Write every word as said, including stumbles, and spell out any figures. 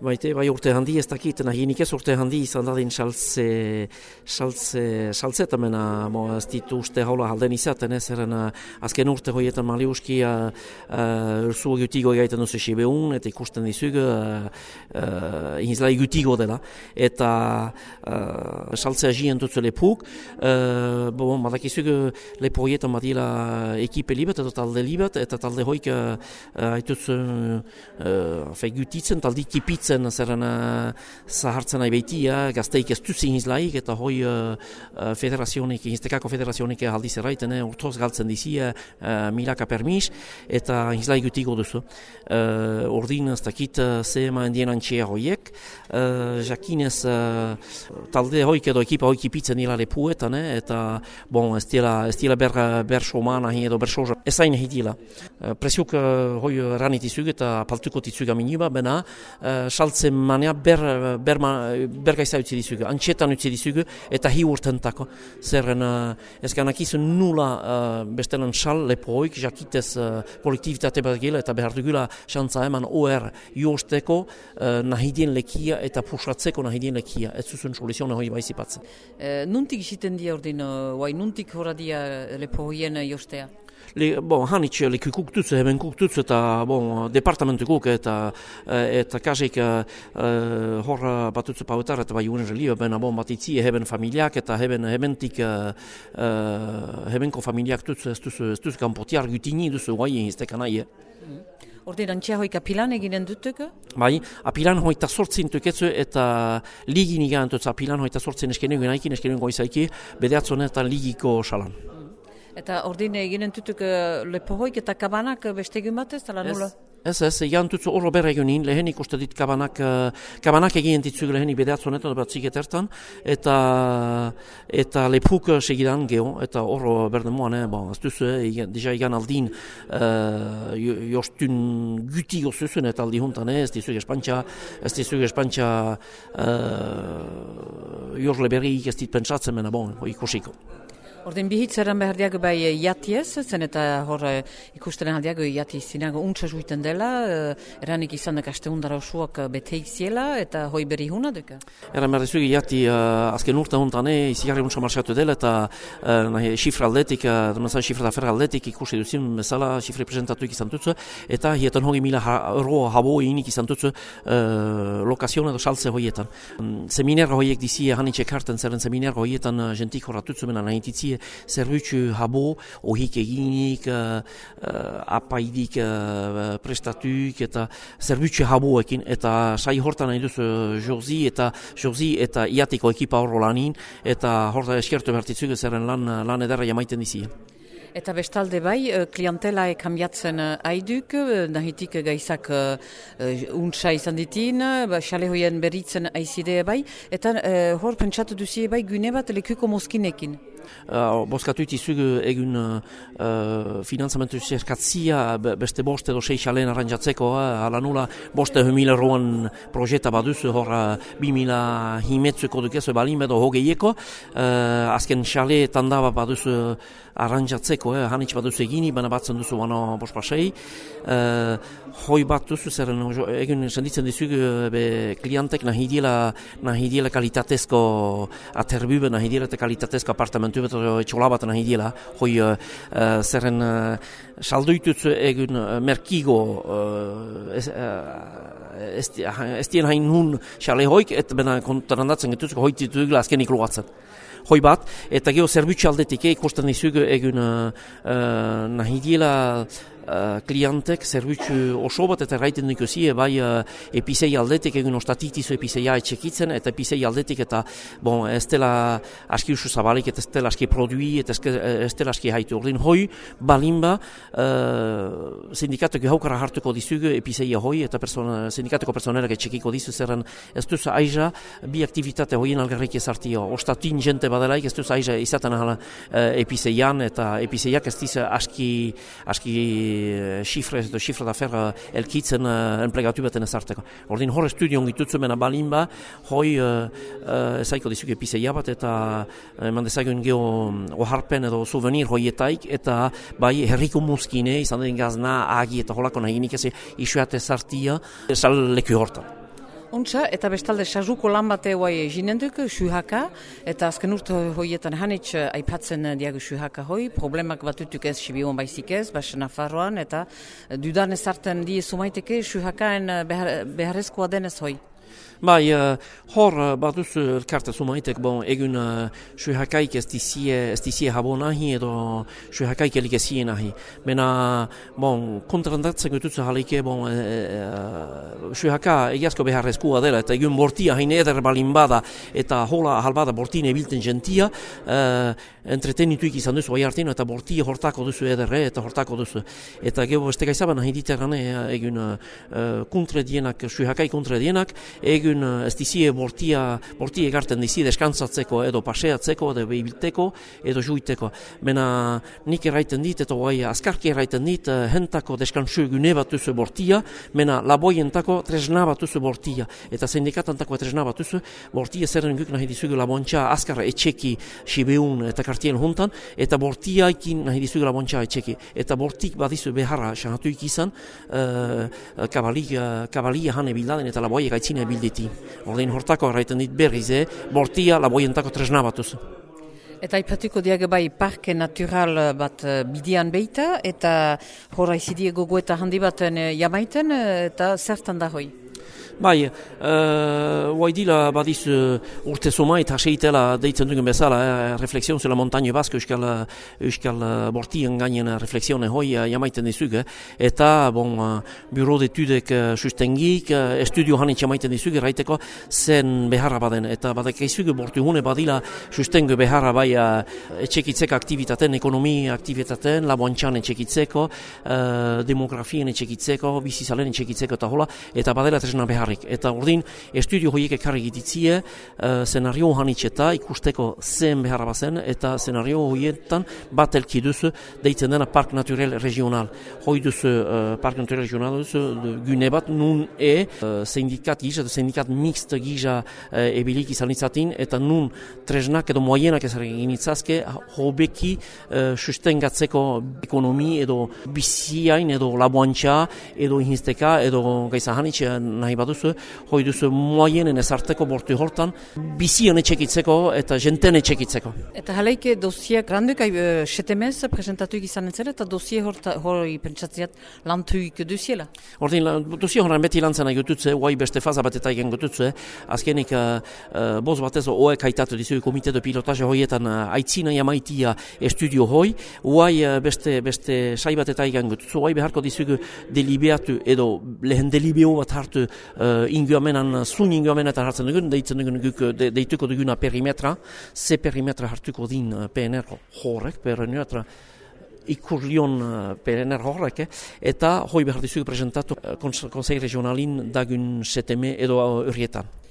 Baite, bai urte handi ez dakit, nahinik ez urte handi izan dadin saltze, saltze, saltzetamena, mo, ez ditu uste haula halden izaten, ez eren azken urte hoietan maliuski uh, uh, ursu gutigo gaiten duzu sibeun, eta ikusten dizug uh, uh, inzlai gutigo dela, eta uh, saltzea jien dutzu lepuk, uh, bon, badakizug lepo hoietan badila ekipe libet, eta talde libet, eta talde hoik uh, haituz uh, uh, gutitzen, talde kipitzen zerren uh, zahartzen nahi behitia, gazteik ez duzin izlaik, eta hoi uh, federazionik, iztekako federazionik aldiz erraiten, eh, urtoz galtzen dizi, uh, milaka permis, eta izlaik gutigo duzu. Uh, ordin ez dakit uh, ze eman dien antxea hoiek, uh, jakinez uh, talde hoik edo ekipa hoik ipitzen nila lepuetan, eh, eta bon, ez dira, ez dira ber, ber soman ahi edo ber soja, ez hain hitila. Uh, presiuk uh, hoi ranitizug eta paltuko tizug aminiba, bena, uh, saltzen manea ber, ber, ber gaisa utzi dizugu, antxetan utzi dizugu eta hi urtentako. Zerren uh, ez ganakizun nula uh, bestelan sal lepoik, jakitez uh, kolektivitate bat gila eta behar dugula xantza eman O R josteko uh, nahidien lekia eta pusatzeko nahidien lekia. Ez zuzun soluziona hoi baizipatzen. E, nuntik isiten dia ordin, uh, nuntik hora dia lepo hoien jostea? Le, bon, hanitz lekukuk dutzu, heben kuk dutzu eta bon, departamentukuk eta eta kasik uh, hor batutzu pauetar eta bai unen relio, bena bon bat itzi heben familiak eta heben hebentik uh, uh, hebenko familiak dutzu ez duzu, ez duzu kanpotiar gutini duzu guai iztekan nahi. Mm. Ordean antxea hoik apilan eginen dutuko? Bai, apilan hoita sortzin tuketzu eta ligin igan dutzu apilan hoita sortzin eskenegu naikin, eskenegu goizaiki, bedeatzonetan ligiko salan. Eta ordin eginen tutuk uh, lepohoik eta kabanak beste egun batez, tala nula? Ez, ez, egan tutzu horro berra egunin, lehenik uste dit kabanak, uh, kabanak egin ditzug lehenik bedeatzonetan bat zigetertan, eta, eta lepuk segidan geho, eta horro berden moan, eh, bon, ez duzu, eh, deja egan aldin uh, jostun guti gozuzun eta aldi juntan, eh, ez dizug espantxa, ez dizug espantxa uh, jorle berriik ez dit pentsatzen mena, bon, ikusiko. Ordin bihitzeran behar diago bai jatiez, zen eta hor ikusteren aldiago jati zinago untsa juiten dela, eranik izan da kaste undara osuak beteik ziela eta hoi berri huna duka? Eran behar dizugi jati uh, azken urte hontan izigarri untsa marxatu dela eta uh, nahi, xifra aldetik, uh, demazan xifra da ferra aldetik ikusi duzin bezala xifra presentatuik izan tutzu eta hietan hori mila ha, euro habo inik izan tutzu uh, lokazion edo saltze hoietan. Um, Seminera hoiek dizi hanitxek harten zerren seminera hoietan uh, jentik horatutzu mena nahi ditzi zerbitzu habo, ohik eginik, uh, uh, apaidik uh, prestatuk eta zerbitzu haboekin eta sai hortan nahi duzu Josi eta Josi eta iatiko ekipa horro lanin eta horta eskertu bertitzuk zerren lan, lan edarra jamaiten dizi. Eta bestalde bai, klientela kambiatzen haiduk, nahitik gaizak uh, untsa izan ditin, xale hoien beritzen aizide bai, eta uh, hor pentsatu duzie bai gune bat lekuko moskinekin. Uh, Boskatu itizug egun uh, finanzamentu zerkatzia beste bost edo sei xalen arrantzatzeko, uh, ala nula boste mila euroan projeta baduzu hor uh, bi mila himetzuko dukezu balin edo hogeieko, uh, azken xale tandaba baduzu arrantzatzeko, eh, hanitz baduzu egini, baina batzen duzu bano bospasei, uh, hoi bat duzu zerren egun senditzen dizug be klientek nahi diela, nahi diela kalitatezko aterbube, nahi diela kalitatezko apartamentu bat etxola bat nahi diela, hoi uh, zerren uh, saldoitutzu egun uh, merkigo uh, ez, uh, ez dien hain nun xale hoik, eta bena kontarandatzen getuzko hoi ditugula azkenik loatzen. Hoi bat, eta geho zerbitzu aldetik ikusten dizug egun uh, uh, nahi diela Uh, klientek zerbitzu oso bat eta erraiten dikuzie bai uh, epizei aldetik egun ostatitizu epizeia etxekitzen eta epizei aldetik eta bon, ez dela aski usu zabalik eta ez dela aski produi eta ez dela aski haitu. Ordin hoi balinba uh, sindikatuko haukara hartuko dizugu epizeia hoi eta persona, sindikatuko personerak etxekiko dizu zerren ez duz aiza bi aktivitate hoien algarrik ezartio. Ostatin jente badelaik ez duz aiza izaten ahala uh, epizeian eta epizeiak ez dizu aski aski xifre edo xifra da ferra elkitzen uh, enplegatu baten ezarteko. Ordin hor estudion gitutzu mena balinba, hoi uh, uh, ezaiko dizuke epizeia bat eta eman uh, dezagun geho oharpen edo souvenir hoietaik eta bai herriko muskine, izan den gazna, agi eta holako nahinik ez isuat ezartia, sal leku hortan. Untsa, eta bestalde sajuko lan bate guai jinenduk, suhaka, eta azken urte hoietan hanitz aipatzen diagu suhaka hoi, problemak batutuk ez Sibiuan baizik ez, bas Nafarroan, eta dudan ezarten die sumaiteke suhakaen behar, beharrezkoa denez hoi. Bai, uh, hor uh, baduz elkarte sumaitek, bon, egun uh, suhakaik ez dizie, ez dizie habo nahi edo suhakaik elik ezie nahi. Mena, bon, kontrandatzen gututze halike, bon, uh, uh, suhaka egiazko beharrezkoa dela, eta egun bortia hain eder balin bada, eta hola halbada bortine bilten gentia, uh, entretenituik izan duzu bai hartin, eta bortia hortako duzu ederre, eta hortako duzu. Eta gero beste gaizaban nahi diterane, egun uh, kontre dienak, suhakai kontre dienak, egun ez dizie bortia, bortia egarten dizie deskantzatzeko edo paseatzeko, edo behibilteko, edo juiteko. Mena nik erraiten dit, eta guai azkarki erraiten dit, hentako deskantzu gune bat duzu bortia, mena laboientako tresna bat duzu bortia. Eta sindikatantako tresna bat duzu, bortia zerren guk nahi dizugu labontxa azkar etxeki Sibeun eta kartien juntan, eta bortiaikin nahi dizugu labontxa etxeki. Eta bortik badizu beharra xanatuik izan, uh, kabalia, kabalia hane bildaden eta laboiek aitzine bilditi. Ordein hortako erraiten dit berriz, eh? Bortia laboientako tresna batuz. Eta aipatuko diag bai parke natural bat bidian beita, eta horra izidie gogoeta handi baten jamaiten, eta zertan da hoi? Bai, uh, waidila badiz uh, urte somait haseitela deitzen dugun bezala, eh, reflexion sur la montagne basque euskal, euskal uh, bortien gainen reflexione hoi uh, jamaiten dizug, eh. Eta, bon, uh, bureau d'étudek uh, sustengik, uh, estudio hanit jamaiten dizug, raiteko zen beharra baden, eta badak eizug bortu hune badila sustengu beharra bai uh, etxekitzeko aktivitaten, ekonomi aktivitaten, laboantxan etxekitzeko, uh, demografien etxekitzeko, bizizalen etxekitzeko eta hola, eta badela tresna beharrik. Eta urdin, estudio hoiek ekarri gititzie, uh, senario hanitxeta ikusteko zen beharra bazen, eta senario hoietan bat elki duzu deitzen dena Park Naturel Regional. Hoi duzu uh, Park Naturel Regional duzu gune bat nun e uh, sindikat gisa, sindikat mixt gisa uh, ebilik izan itzatin, eta nun tresnak edo moienak ez egin itzazke, hobeki uh, sustengatzeko ekonomi edo biziain edo laboantxa edo inhizteka edo gaisa hanitxe nahi baduzu, hoi duzu moienen ezarteko bortu hortan, bizion etxekitzeko eta jenten etxekitzeko. Eta jaleike dosiak randuk uh, setemez presentatuik izan entzera, eta dosie hori pentsatziat lantuik duziela? Ordin, dosie horan beti lantzen agututze, guai beste faza bat eta egen gututze, azkenik uh, uh, boz batez oek haitatu dizu komite de pilotaje hoietan uh, aitzina jamaitia estudio hoi, guai uh, beste, beste sai bat eta egen gututze, guai beharko dizugu delibeatu edo lehen delibeo bat hartu uh, inguamenan, zun inguamenetan hartzen dugun, deitzen dugun guk, de, deituko duguna perimetra, ze perimetra hartuko din P N R horrek, perimetra ikurlion P N R horrek, eh? Eta hoi behar dizugu presentatu uh, konsei regionalin dagun seteme edo urrietan.